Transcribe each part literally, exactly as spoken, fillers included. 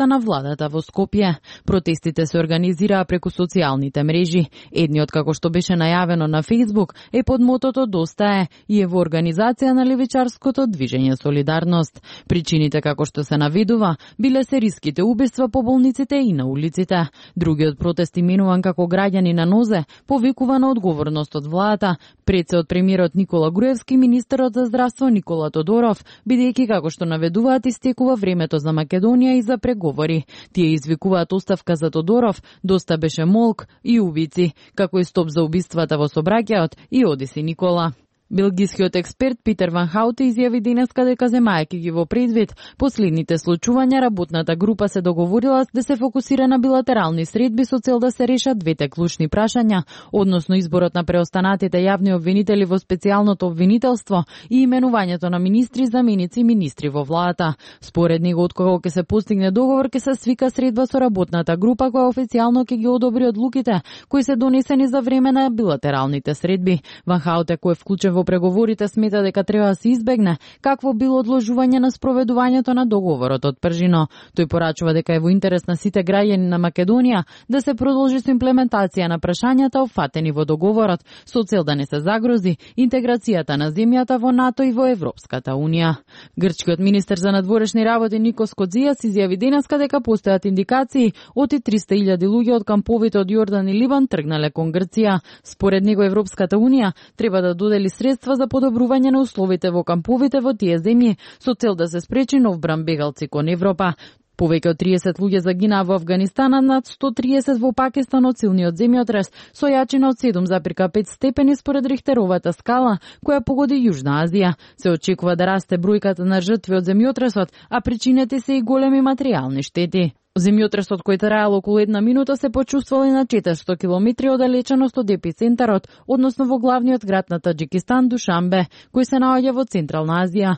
на владата во Скопје. Протестите се организираа преку социјалните мрежи. Едниот, како што беше најавено на Facebook, е под мотото "Доста е" и е во организација на левичарското движење Солидарност. Причините, како што се наведува, биле сериските убиства по болниците и на улиците. Другиот протест, именуван како граѓани на нозе, повикува на одговорност од владата, пред се од премиерот Никола Груевски, министерот за здравство Никола Тодоров, бидејќи, како што наведуваат, истекува времето за Македонија и за преговори. Тие извикуваат оставка за Тодоров, доста беше молк и убици, како и стоп за убиствата во сообраќајот и одиси Никола. Белгискиот експерт Питер Ван Хауте изјави денеска дека, земајќи ги во предвид последните случувања, работната група се договорила да се фокусира на билатерални средби со цел да се решат двете клучни прашања, односно изборот на преостанатите јавни обвинители во специјалното обвинителство и именувањето на министри, заменици и министри во владата. Според него, откако ќе се постигне договор, ќе се свика средба со работната група која официјално ќе ги одобри одлуките кои се донесени за време на билатералните средби. Ван Хауте, кој е вклучен во преговорите, смета дека треба да се избегне какво било одложување на спроведувањето на договорот од Пржино. Тој порачува дека е во интерес на сите граѓани на Македонија да се продолжи со имплементација на прашањата опфатени во договорот, со цел да не се загрози интеграцијата на земјата во НАТО и во Европската Унија. Грчкиот министер за надворешни работи Никос Кодзијас изјави денеска дека постојат индикации оти триста илјади луѓе од камповите од Јордан и Либан тргнале кон Грција. Според него Европската Унија треба да додели средства за подобрување на условите во камповите во тие земји со цел да се спречи нов бран бегалци кон Европа. Повеќе од триесет луѓе загинаа во Афганистан, а над сто триесет во Пакистан од силниот земјотрес со јачина од седум зарез пет степени според Рихтеровата скала која погоди Јужна Азија. Се очекува да расте бројката на жртви од земјотресот, а причините се и големи материјални штети. Земјотресот, кој траел околу една минута, се почувствувал и на четиристотини километри оддалеченост од епицентарот, односно во главниот град на Таџикистан, Душанбе, кој се наоѓа во Централна Азија.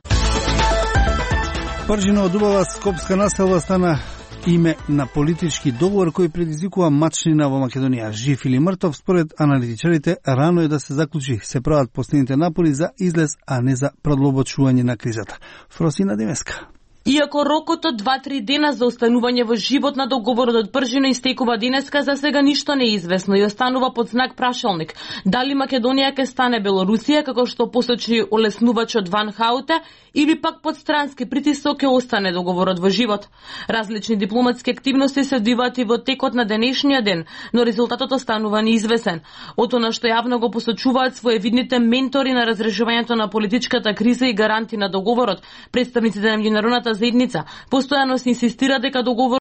Пржино од убава скопска населба стана име на политички договор кој предизвикува мачнина во Македонија. Жив или мртов, според аналитичарите, рано е да се заклучи. Се прават последните напори за излез, а не за продлабочување на кризата. Фросина Демеска. Иако рокот од два-три дена за останување во живот на договорот од Пржино истекува денеска, за сега ништо не е известно и останува под знак прашалник. Дали Македонија ќе стане Белорусија, како што посочи олеснувачот Ван Хауте, или пак под странски притисок ќе остане договорот во живот. Различни дипломатски активности се одвиваат и во текот на денешниот ден, но резултатот останува неизвестен. Од она што јавно го посочуваат своевидните ментори на разрешувањето на политичката криза и гаранти на договорот, представниците на меѓународната заедница постојано се инсистира дека договор